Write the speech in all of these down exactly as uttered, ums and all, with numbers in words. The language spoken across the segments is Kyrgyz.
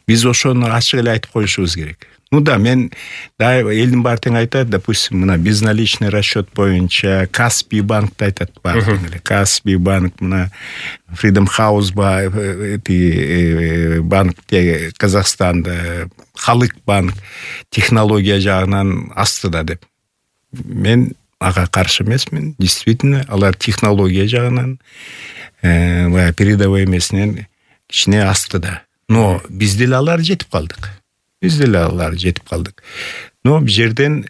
Биз ошону ачык эле айтып коюшубуз керек. Ну да, мен да элдин баары тең айтат, допустим, мына безналичный расчет боюнча Каспий банкты айтат баары тең эле. Каспий банк, мына Freedom House эти банк Казакстанда, Халык банк технология жагынан астыда деп. Мен ага каршы эмесмин. Действительно, алар технология жагынан баягы передовой эмесинен кичине астыда. Но биз деле алар жетип калдык. Биз деле алар жетип калдык. Но бул жерден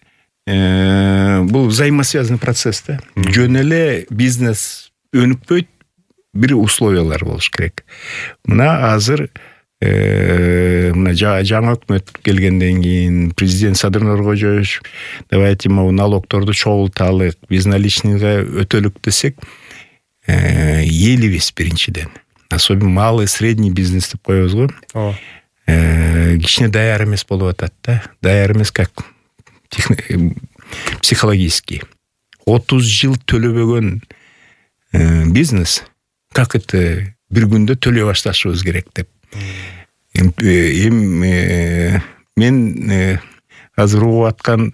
бул взаимосвязанный процесс да. Жөн эле бизнес өнүкпөйт, бир условиялар болуш керек. Мына азыр мына жаңы өкмөт келгенден кийин президент Садыр Нуркожоевич давайте могу налогторду чогулталык, безналичныйга өтөлүк десек, элибиз биринчиден. Особенно малый, средний бизнес деп коебуз го. Кичине даяр эмес болуп атат да. Даяр эмес как психологически. отуз жыл төлөбөгөн бизнес как это бир күндө төлөй башташыбыз керек деп. Эми мен азыр угуп аткан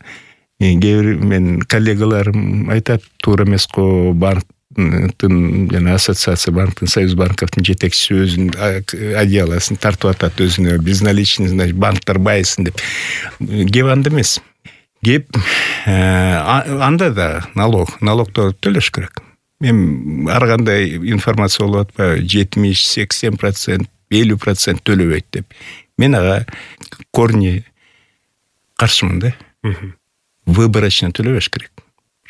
кээ бир мен коллегаларым айтат, туура эмес го, банктын жана ассоциация банктын, Союз банковдун жетекчиси өзүнүн одеялосын тартып атат өзүнө, безналичный, значит, банктар байысын деп. Кеп анда эмес. Кеп анда да налог, налогторду төлөш керек. Мен ар кандай информация болуп атпайбы, жетимиш, сексен процент, элүү процент төлөбөйт деп. Мен ага корни каршымын да. Выборочно төлөбөш керек.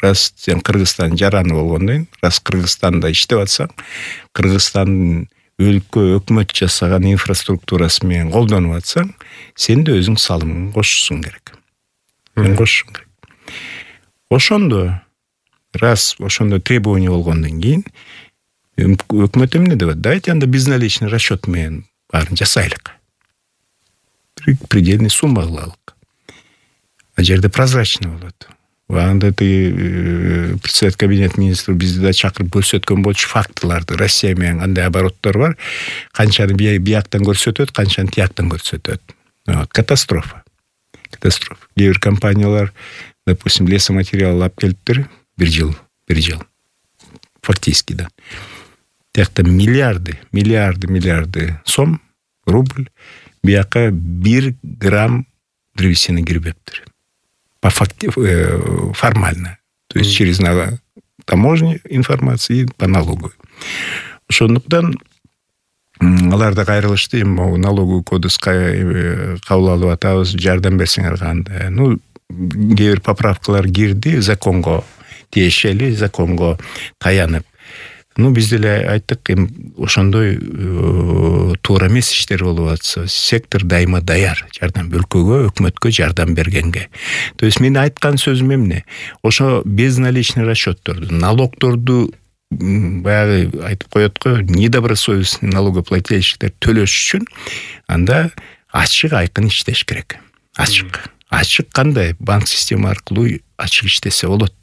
Раз сен Кыргызстан жараны болгондон кийин, раз Кыргызстанда иштеп атсаң, Кыргызстандын өлкө өкмөт жасаган инфраструктурасы менен колдонуп атсаң, сен де өзүң салымыңды кошушуң керек. Мен кошушуң керек. Ошондо, раз ошондо требование болгондон кийин, өкмөт эмне деп атат? Давайте анда безналичный расчет менен баарын жасайлык. Предельный сумма кылалык. А жерде прозрачный болот. Анда ты председатель кабинет министров бизди да чакырып көрсөткөн болчу фактыларды. Россия менен кандай обороттор бар, канчаны бияктан көрсөтөт, канчаны тияктан көрсөтөт. Катастрофа. Катастрофа. Кээ бир компаниялар, допустим, лесоматериал алып келиптир, бир жыл, бир жыл. Фактически да. Тиякта миллиарды, миллиарды, миллиарды сом, рубль, бияка бир грамм древесины кирбептир. По факти, э, формально. То есть mm. через таможню информации, по налогу. Ошондуктан аларда кайрылышты, эми налоговый кодекске кабыл алып атабыз, жардам берсеңер кандай. Ну, кээ бир поправкалар кирди, законго тиешели, законго таянып. Ну, биз деле айттык, эми ошондой туура эмес иштер болуп атса, сектор дайыма даяр жардам, өлкөгө, өкмөткө жардам бергенге. То есть мен айткан сөзүм эмне? Ошо безналичный расчетторду, налогторду баягы айтып коет го, недобросовестный налогоплательщиктер төлөш үчүн анда ачык айкын иштеш керек. Ачык. Ачык кандай? Банк система аркылуу ачык иштесе болот.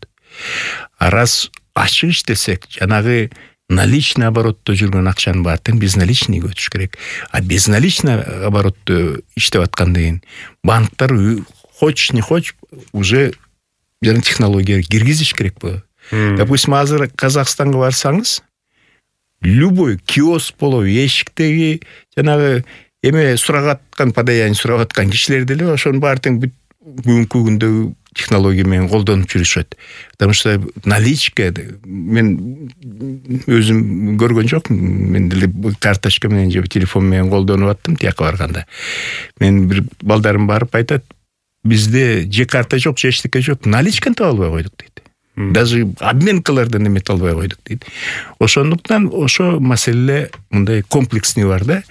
А раз ачык иштесек, жанагы наличный оборотто жүргөн акчанын баары тең безналичныйга өтүш керек. А безналичный оборотто иштеп аткандан кийин банктар хоч не хоч уже жана технология киргизиш керек болот. Допустим, азыр Казакстанга барсаңыз, любой киоск болобу, эшиктеги жанагы эме сурап аткан, подаяние сурап аткан кишилер деле ошонун баары тең бүгүнкү күндөгү технология менен колдонуп жүрүшөт. Потому что наличка, мен өзүм көргөн жокмун, мен деле карточка менен же телефон менен колдонуп аттым тияка барганда. Мен бир балдарым барып айтат, бизде же карта жок, же эчтеке жок, наличканы таба албай койдук дейт. Даже обменкалардан эмете албай койдук дейт. Ошондуктан ошо маселе мындай комплексный бар да.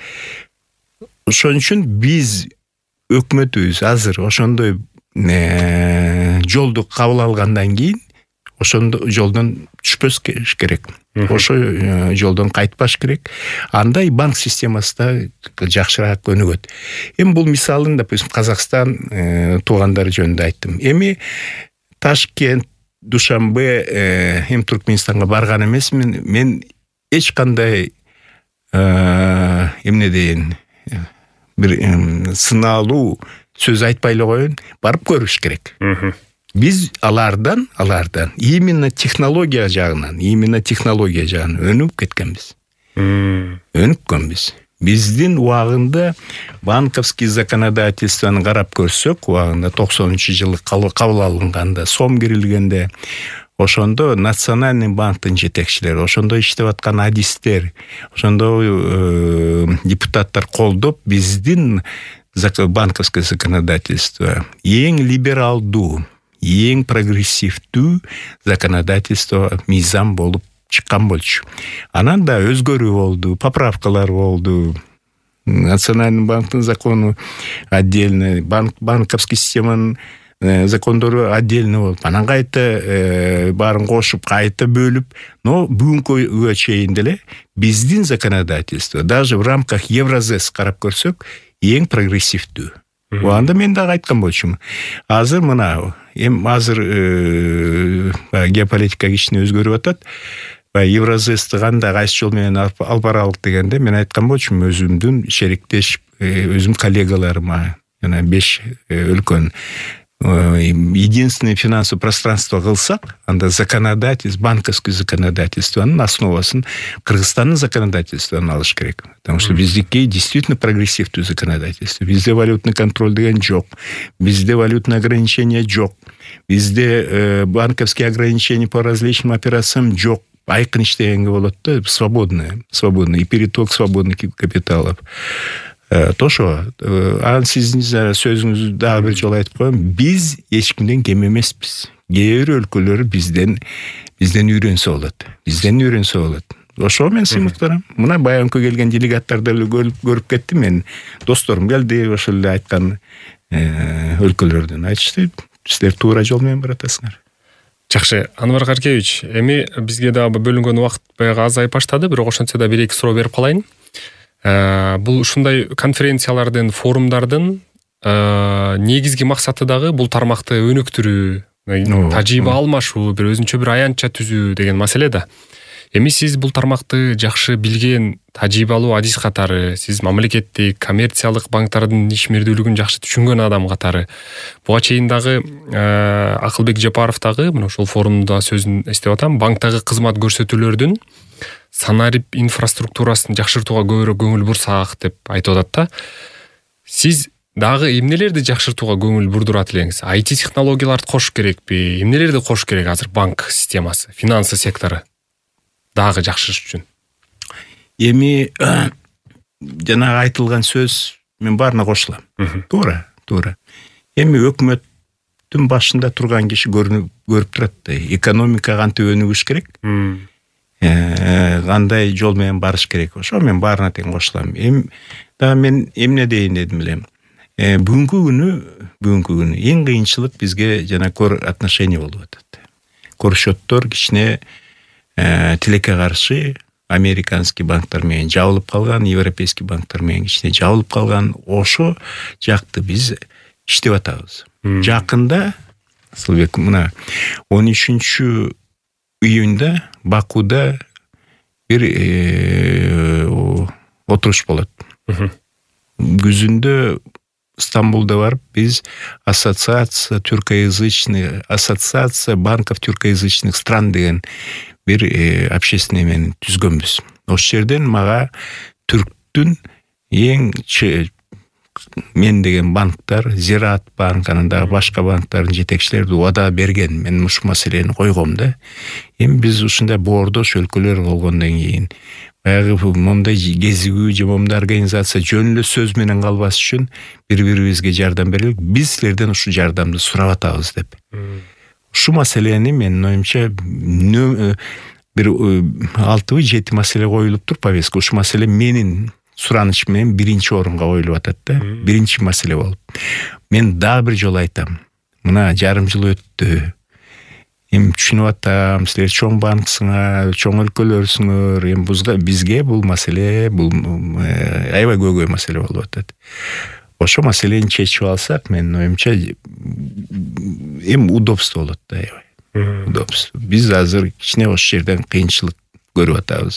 Ошон үчүн биз өкмөтүбүз азыр ошондой жолду кабыл алгандан кийин ошондо жолдон түшпөс керек. Ошо жолдон кайтпаш керек. Анда банк системасы да жакшыраак өнүгөт. Эми бул мисалын, допустим, Казакстан туугандары жөнүндө айттым. Эми Ташкент, Душанбе, эми Туркменистанга барган эмесмин. Мен эч кандай эмне дейин, бир сыналуу сөз айтпай эле коеюн, барып көрүш керек. Биз алардан, алардан именно технология жагынан, именно технология жагынан өнүп кеткенбиз. Өнүккөнбүз. Биздин убагында банковский законодательствону карап көрсөк, убагында токсонунчу жылы кабыл алынганда, сом кирилгенде, ошондо Национальный банктын жетекчилери, ошондо иштеп аткан адистер, ошондо э, депутаттар колдоп биздин банковское законодательство эң либералдуу, эң прогрессивдүү законодательство мыйзам болуп чыккан болчу. Анан да өзгөрүү болду, поправкалар болду. Национальный банктын закону отдельно, банк, банковский системанын э, закондору отдельно болуп, анан кайта э, баарын кошуп, кайта бөлүп, но бүгүнкүгө чейин деле биздин законодательство даже в рамках Евразес карап көрсөк, эң прогрессивдүү. Анда мен дагы айткан болчумун. Азыр мына, эм азыр э, геополитика кичине өзгөрүп атат. Евразести кандай кайсы жол менен алып баралык дегенде мен айткан болчумун, өзүмдүн шериктеш, өзүм коллегаларыма, жана беш өлкөнүн единственное финансовое пространство кылсак, анда законодательство, банковский законодательствонун основасын Кыргызстандын законодательствону алыш керек. Потому что биздики действительно прогрессивдүү законодательство. Бизде валютный контроль деген жок. Бизде валютный ограничение жок. Бизде э, банковские ограничения по различным операциям жок. Айкын иштегенге болот да, свободный, свободный, и переток свободных капиталов. То ошо, анан сиздин сөзүңүздү дагы бир жолу айтып коем, биз эч кимден кем эмеспиз. Кээ бир өлкөлөр бизден бизден үйрөнсө болот. Бизден үйрөнсө болот. Ошо мен сыймыктарам. Мына баягы келген делегаттарды эле көрүп кеттим мен. Досторум келди, ошол эле айткан өлкөлөрдөн айтышты. Силер туура жол менен баратасыңар. Жакшы, Анвар Каркевич, эми бизге дагы бөлүнгөн убакыт баягы азайып баштады, бирок ошентсе да бир эки суроо берип калайын. Бул ушундай конференциялардын, форумдардын негизги максаты дагы бул тармакты өнүктүрүү, тажрыйба алмашуу, бир өзүнчө бир аянтча түзүү деген маселе да. Эми сиз бул тармакты жакшы билген, тажрыйбалуу адис катары, сиз мамлекеттик, коммерциялык банктардын ишмердүүлүгүн жакшы түшүнгөн адам катары, буга чейин дагы Акылбек Жапаров дагы мына ошол форумда сөзүн эстеп атам, банктагы кызмат көрсөтүүлөрдүн санарип инфраструктурасын жакшыртууга көбүрөөк көңүл бурсак деп айтып атат да. Сиз дагы эмнелерди жакшыртууга көңүл бурдурат элеңиз? ай ти технологияларды кош керекпи? Эмнелерди кош керек азыр банк системасы, финансы сектору дагы жакшырыш үчүн? Эми жанагы айтылган сөз мен баарына кошулам. Туура, туура. Эми өкмөттүн башында турган киши көрүп турат да, экономика кантип өнүгүш керек? Кандай жол менен барыш керек? Ошо мен баарына тең кошулам. Эми да мен эмне дейин дедим эле. Бүгүнкү күнү, бүгүнкү күнү эң кыйынчылык бизге жана көр отношение болуп атат. Көршөттөр кичине тилекке каршы американский банктар менен жабылып калган, европейский банктар менен кичине жабылып калган, ошо жакты биз иштеп атабыз. Жакында, Асылбек, мына он үчүнчү июнда Бакуда бир отуруш болот. Күзүндө Стамбулда барып биз ассоциация тюркоязычных, ассоциация банков тюркоязычных стран деген бир общественный мен түзгөнбүз. Ошол жерден мага түрктүн эң мен деген банктар, Зираат банк, анан дагы башка банктардын жетекчилери убада берген. Мен ушул маселени койгом да. Эми биз ушундай боордош өлкөлөр болгондон кийин баягы мондай кезигүү же мондай организация жөн эле сөз менен калбас үчүн бири-бирибизге жардам берелик. Биз силерден ушул жардамды сурап атабыз деп. Ушул маселени менин оюмча бир алтыбы жети маселе коюлуп тур повестка. Ушул маселе менин сураныш менен биринчи орунга коюлуп атат да. Биринчи маселе болуп. Мен дагы бир жолу айтам. Мына жарым жыл өттү. Эми түшүнүп атам, силер чоң банксыңар, чоң өлкөлөрсүңөр. Эми бизге бул маселе, бул аябай көйгөй маселе болуп атат. Ошо маселени чечип алсак, менин оюмча эми удобство болот да, аябай. Удобство. Биз азыр кичине ошол жерден кыйынчылык көрүп атабыз.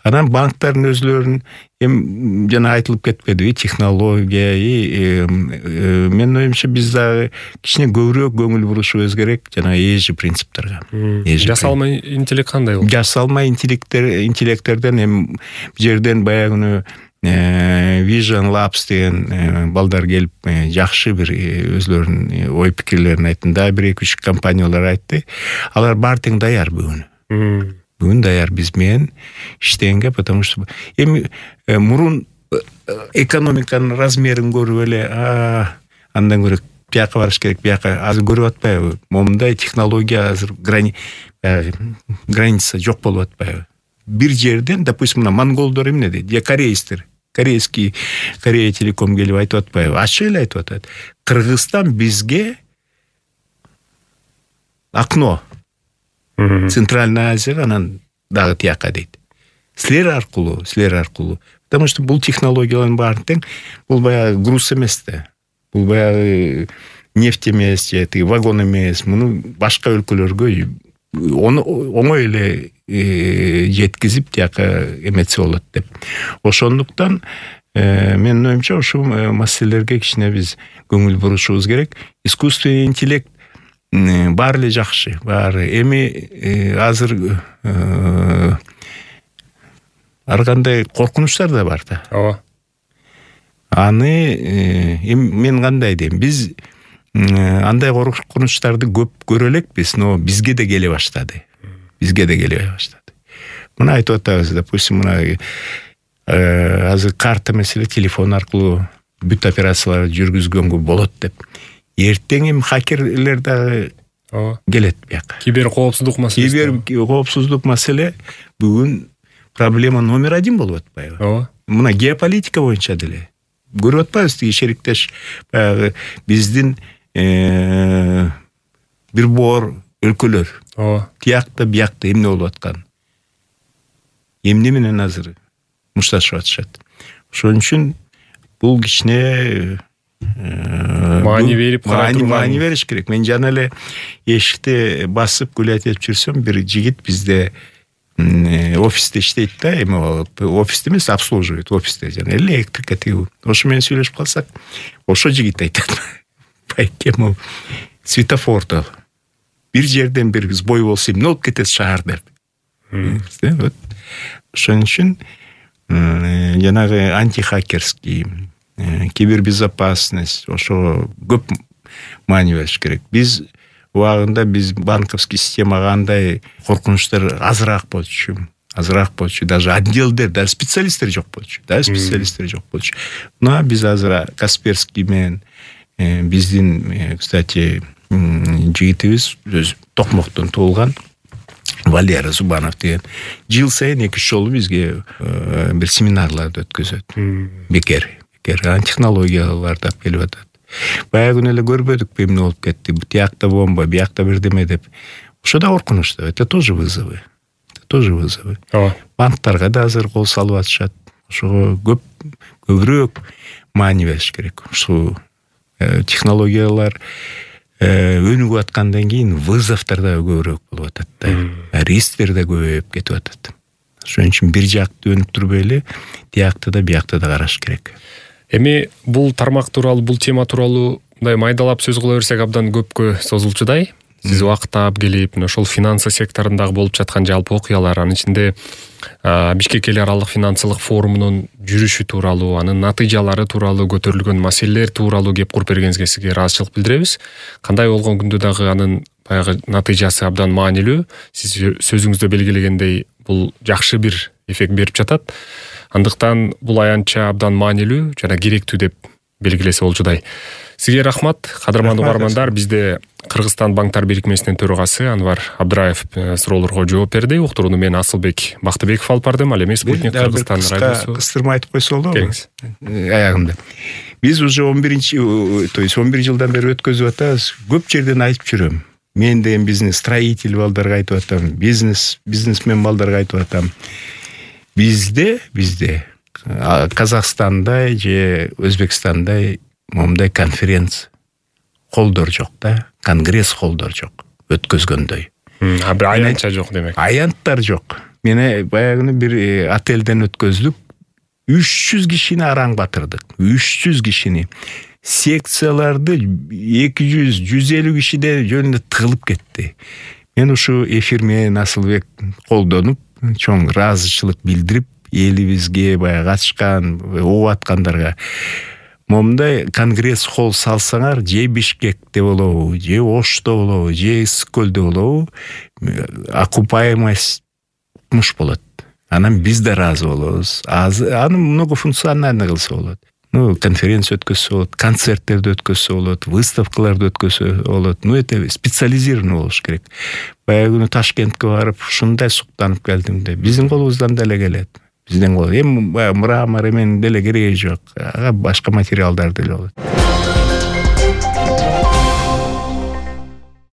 Анан банктардын өзлөрүнүн эми жана айтылып кетпедиби технология, менин оюмча биз дагы кичине көбүрөөк көңүл бурушубуз керек жана эжи принциптерге. Жасалма интеллект кандай болот? Жасалма интеллекттер интеллекттерден эми бул жерден баягы Vision Labs деген балдар келип жакшы бир өзлөрүнүн ой пикирлерин айтты. Да бир эки үч компаниялар айтты. Алар баары тең даяр бүгүн. Бүгүн даяр биз менен иштегенге, потому что эми мурун экономиканын размерин көрүп эле, андан көрө бияка барыш керек, бияка азыр көрүп атпайбы? Момундай технология азыр граница жок болуп атпайбы? Бир жерден, допустим, мына монголдор эмне дейт? Я корейстер. Корейский Корея Телеком келип айтып атпайбы? Ачык эле айтып атат. Кыргызстан бизге окно. Центральная Азия, анан дагы тияка дейт. Силер аркылуу, силер аркылуу. Потому что бул технологиялардын баары тең, бул баягы груз эмес да. Бул баягы нефть эмес, же вагон эмес. Муну башка өлкөлөргө оңой эле жеткизип тияка эметсе болот деп. Ошондуктан менин оюмча ушул маселелерге кичине биз көңүл бурушубуз керек. Искусственный интеллект баары эле жакшы, баары. Эми азыр ар кандай коркунучтар да бар да. Ооба. Аны эми мен кандай дейм? Биз андай коркунучтарды көп көрө элекпиз, но бизге да келе баштады. Бизге да келе баштады. Мына айтып атабыз, допустим, мына азыр карта маселе телефон аркылуу бүт операцияларды жүргүзгөнгө болот деп. Эртең эми хакерлер дагы келет бияка. Кибер коопсуздук маселеси. Кибер коопсуздук маселе бүгүн проблема номер один болуп атпайбы? Ооба. Мына геополитика боюнча деле көрүп атпайбыз, тиги шериктеш баягы биздин бир боор өлкөлөр. Ооба. Тиякта, биякта эмне болуп аткан? Эмне менен азыр мушташып атышат. Ошон үчүн бул кичине маани берип маани маани бериш керек. Мен жана эле эшикти басып гүлөтүп жүрсөм, бир жигит бизде офисте иштейт да, эми офисте эмес, обслуживает офисте, жана электрика тиги. Ошо менен сүйлөшүп калсак, ошо жигит айтат. Байке могу светофордо бир жерден бир сбой болсо эмне болуп кетет шаар деп. Вот. Ошон үчүн жанагы антихакерский, кибербезопасность, ошо көп маани бериш керек. Биз убагында биз банковский системага андай коркунучтар азыраак болчу. Азыраак болчу. Даже отделдер, даже специалисттер жок болчу. Да, специалисттер жок болчу. Но биз азыр Касперский менен биздин, кстати, жигитибиз өз Токмоктон туулган Валера Зубанов деген жыл сайын эки үч жолу бизге бир семинарларды өткөзөт. Бекер, бекер технологияларды алып келип атат. Баягы күнү эле көрбөдүкпү эмне болуп кетти? Тиякта бомба, биякта бирдеме деп. Ошо да коркунуч да. Это тоже вызовы. Это тоже вызовы. Ооба. Банктарга да азыр кол салып атышат. Ошого көп көбүрөөк маани бериш керек. Ушул технологиялар өнүгүп аткандан кийин вызовдор да көбүрөөк болуп атат да. Рисктер да көбөйүп кетип атат. Ошон үчүн бир жакты өнүп турбай эле, тиякта да биякта да караш керек. Эми бул тармак тууралуу, бул тема тууралуу мындай майдалап сөз кыла берсек абдан көпкө созулчудай. Сиз убакыт таап келип, ошол финансы секторундагы болуп жаткан жалпы окуялар, анын ичинде Бишкек эл аралык финансылык форумунун жүрүшү тууралуу, анын натыйжалары тууралуу көтөрүлгөн маселелер тууралуу кеп куруп бергениңизге сизге ыраазычылык билдиребиз. Кандай болгон күндө дагы анын баягы натыйжасы абдан маанилүү. Сиз сөзүңүздө белгилегендей бул жакшы бир эффект берип жатат. Андыктан бул аянтча абдан маанилүү жана керектүү деп белгилесе болчудай. Сизге рахмат, кадырман угармандар. Бизде Кыргызстан банктар бирикмесинин төрагасы Анвар Абдыраев суроолорго жооп берди. Уктурууну мен Асылбек Бактыбеков алып бардым. Ал эми Спутник Кыргызстан радиосу. Кыстырма айтып койсо болобу? Аягында. Биз уже он биринчи, то есть он бир жылдан бери өткөзүп атабыз. Көп жерден айтып жүрөм. Мен деген бизнес строитель балдарга айтып атам, бизнес бизнесмен балдарга айтып атам. Бизде, бизде Казакстандай же Өзбекстандай момундай конференция холдор жок да, конгресс холдор жок өткөзгөндөй. А бир аянтча жок демек. Аянттар жок. Мени баягы бир отелден өткөздүк. үч жүз кишини араң батырдык. үч жүз кишини. Секцияларды эки жүз жүз элүү кишиден жөнүндө тыгылып кетти. Мен ушу эфир менен Асылбек колдонуп, чоң ыраазычылык билдирип, элибизге баягы катышкан, угуп аткандарга момундай конгресс холл салсаңар, же Бишкекте болобу, же Ошто болобу, же Ысык-Көлдө болобу, окупаемость муш болот. Анан биз да ыраазы болобуз. Аны многофункциональный кылса болот. Ну, конференция өткөзсө болот, концерттерди өткөзсө болот, выставкаларды өткөзсө болот. Ну, это специализированный болуш керек. Баягы Ташкентке барып, ушундай суктанып келдим де. Биздин колубуздан деле келет. Биздин кол. Эми мрамор эмен деле кереги жок. Башка материалдар деле болот.